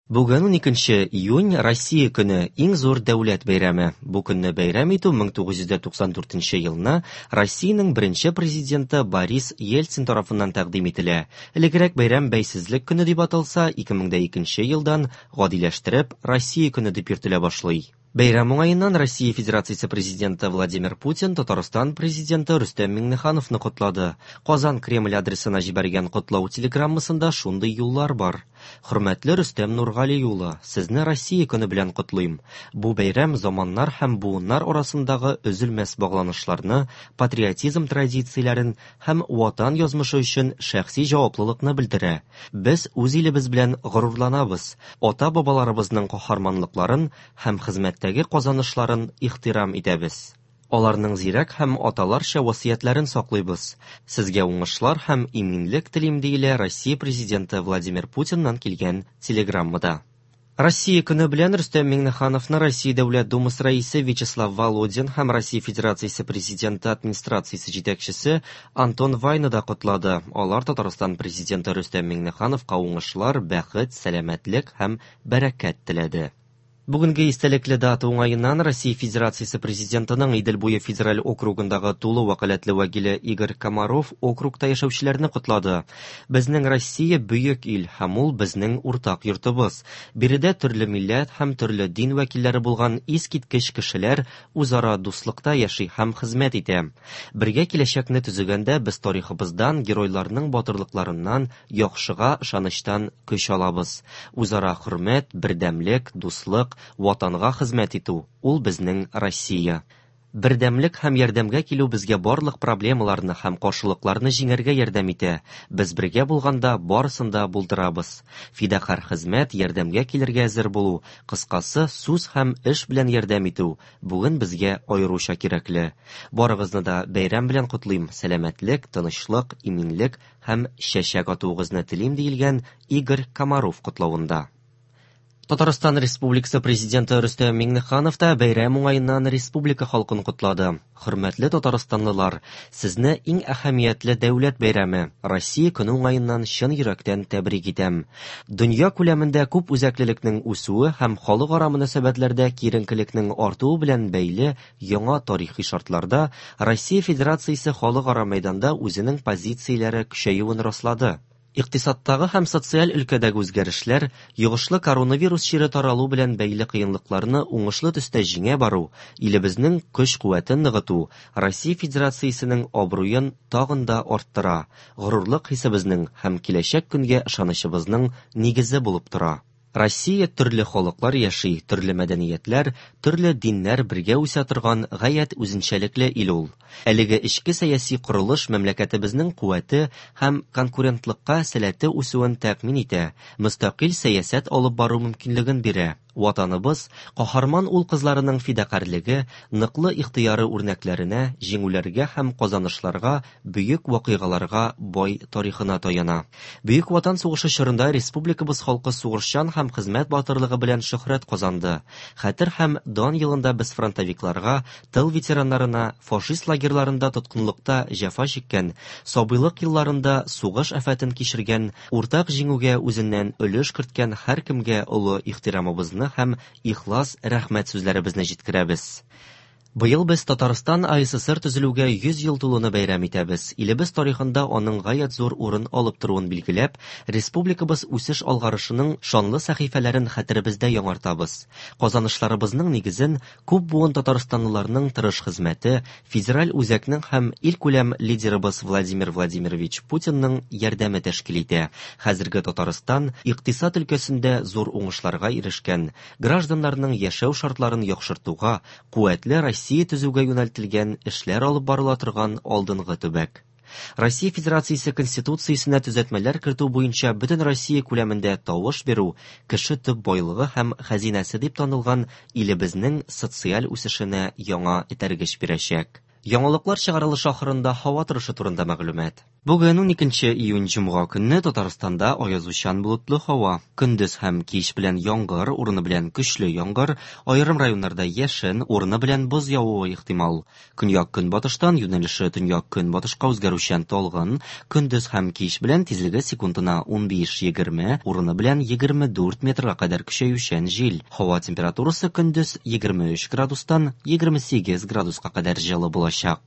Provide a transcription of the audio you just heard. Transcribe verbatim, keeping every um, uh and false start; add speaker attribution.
Speaker 1: Бүген уникенче июнь Россия көне, иң зур дәүләт бәйрәме. Бу көнне бәйрәм итү мең тугыз йөз дә туксан дүртенче елны Россиянең беренче президенты Борис Ельцин тарафыннан тәкъдим ителә. Элегрәк бәйрәм Бәйсезлек көне дип аталса, ике мең дә икенче елдан гадиләштереп Россия көне дип йөртелә башлый. Бәйрәм уңаеннан Россия Федерациясе президенты Владимир Путин Татарстан президенты Рөстәм Миңнехановны котлады. Казан Кремль адресына җибәргән котлау телеграммасында шундый юллар бар. Хөрмәтле Рөстәм Нургали улы, сезне Россия көне белән котлыйм. Бу бәйрәм заманнар һәм буыннар арасындагы өзелмәс багланышларны, патриотизм традицияләрен һәм ватан язмышы өчен шәхси җаваплылыкны белдерә. Без үз илебез белән горурланабыз, ата-бабаларыбызның каһарманлыкларын һәм хезмәттәге казанышларын ихтирам итәбез. Аларның зирәк һәм аталарча васыятьләрен саклыйбыз. Сезгә уңышлар һәм иминлек телим, диелә Россия президенты Владимир Путиннан килгән телеграммада. Россия көне белән Рөстәм Миңнехановны Россия Дәүләт Думасы рәисе Вячеслав Володин һәм Россия Федерациясе президенты администрациясе җитәкчесе Антон Вайна да котлады. Алар Татарстан президенты Рөстәм Миңнехановка уңышлар, бәхет, сәламәтлек һәм бәрәкәт теләде. Бүгенге истәлекле дата уңаеннан Россия Федерациясе президентының Идел буе федераль округындагы тулы вәкаләтле вәкиле Игорь Комаров округта яшәүчеләрне котлады. Безнең Россия бөек ил һәм ул безнең уртак йортыбыз. Биредә төрле милләт һәм төрле дин вәкилләре булган искиткеч кешеләр үзара дуслыкта яши һәм хезмәт итә. Бергә киләчәкне төзегәндә без тарихыбыздан, геройларның батырлыкларыннан, яхшыга ышанычтан көч алабыз. Үзара хөрмәт, бердәмлек, дуслык, ватанга хезмәт итү ул безнең Россия. Бердәмлек һәм ярдәмгә килү безгә барлык проблемаларны һәм каршылыкларны җиңәргә ярдәм итә. Без бергә булганда барысын да булдырабыз. Фидакар хезмәт, ярдәмгә килергә әзер булу, кыскасы, сүз һәм эш белән ярдәм итү бүген безгә аеруча кирәкле. Барыгызны да бәйрәм белән котлыйм. Сәламәтлек, тынычлык, иминлек һәм чәчәк атуыгызны телим, диелгән Игорь Комаров котлавында. Татарстан Республикасы президенты Рөстәм Миңнеханов та бәйрәм уңаеннан республика халкын котлады. Хөрмәтле татарстанлылар, сезне иң әһәмиятле дәүләт бәйрәме Россия көне уңаеннан чын йөрәктән тәбрик итәм. Дөнья күләмендә күп үзәклелекнең үсүе һәм халыкара мөнәсәбәтләрдә киеренкелекнең артуы белән бәйле яңа тарихи шартларда Россия Федерациясе халыкара мәйданда үзенең позицияләре көчәюен раслады. Икътисадтагы һәм социаль өлкәдәге үзгәрешләр, йогышлы коронавирус чире таралу белән бәйле кыенлыкларны уңышлы төстә җиңә бару, илебезнең көч-куәтен ныгыту, Россия Федерациясенең абруен тагын да арттыра, горурлык хисебезнең һәм киләчәк көнгә ышанычыбызның нигезе булып тора. Россия төрле халыклар яши, төрле мәдәниятләр, төрле диннәр бергә үсә торган гаять үзенчәлекле ил ул. Әлеге эчке сәяси корылыш мәмләкәтебезнең куәте һәм конкурентлыкка сәләте үсүен тәэмин итә, мөстәкыйль сәясәт алып бару мөмкинлеген бирә. Ватаныбыз каһарман ул кызларының фидакарьлеге, ныклы ихтыяры үрнәкләренә, җиңүләргә һәм казанышларга, бөек вакыйгаларга бай тарихына таяна. Бөек Ватан сугышы чорында республикабыз халкы сугышчан һәм хезмәт батырлыгы белән шөһрәт казанды. Хәтер һәм дан елында без фронтовикларга, тыл ветераннарына, фашист лагерьларында тоткынлыкта җәфа чиккән, сабыйлык елларында сугыш афәтен кичергән, уртак җиңүгә үзеннән өлеш керткән һәркемгә олы ихтирамыбызны һәм ихлас рәхмәт сүзләребезне җиткерәбез. Быел без Татарстан А Эс Эс Эр төзелүгә йөз ел тулуны бәйрәм итәбез. Илебез тарихында аның гаять зур урын алып торуын билгеләп, республикабыз үсеш алгарышының шанлы сәхифәләрен хәтеребездә яңартабыз. Казанышларыбызның нигезен күп буын татарстанлыларның тырыш хезмәте, федераль үзәкнең һәм илкүләм лидерыбыз Владимир Владимирович Путинның ярдәме тәшкил итә. Хәзерге Татарстан икътисад өлкәсендә зур уңышларга ирешкән, гражданнарның яшәү шартларын яхшыртуга, куәтле Россия төзүгә юнәлтелгән эшләр алып барыла торган алдынгы төбәк. Россия Федерациясе Конституциясенә төзәтмәләр кертү буенча бөтен Россия күләмендә тавыш бирү кеше төп байлыгы һәм хәзинәсе дип танылган илебезнең социаль үсешенә яңа этәргеч бирәчәк. Яңалыклар чыгарылышы ахырында һава торышы турында мәгълүмат. Бүген уникенче июнь җомга көнне Татарстанда аязучан болытлы һава. Көндез һәм кич белән яңгыр, урыны белән көчле яңгыр, аерым районнарда яшен, урыны белән боз явуы ихтимал. Көньяк-көнбатыштан юнәлеше төньяк-көнбатышка үзгәрүчән талгын, көндез һәм кич белән тизлеге секундына унбиш-егерме, урыны белән егерме дүрт метрга кадәр көчәючән җил. Һава температурасы көндез егерме өч градустан егерме сигез градуска кадәр җылы булачак.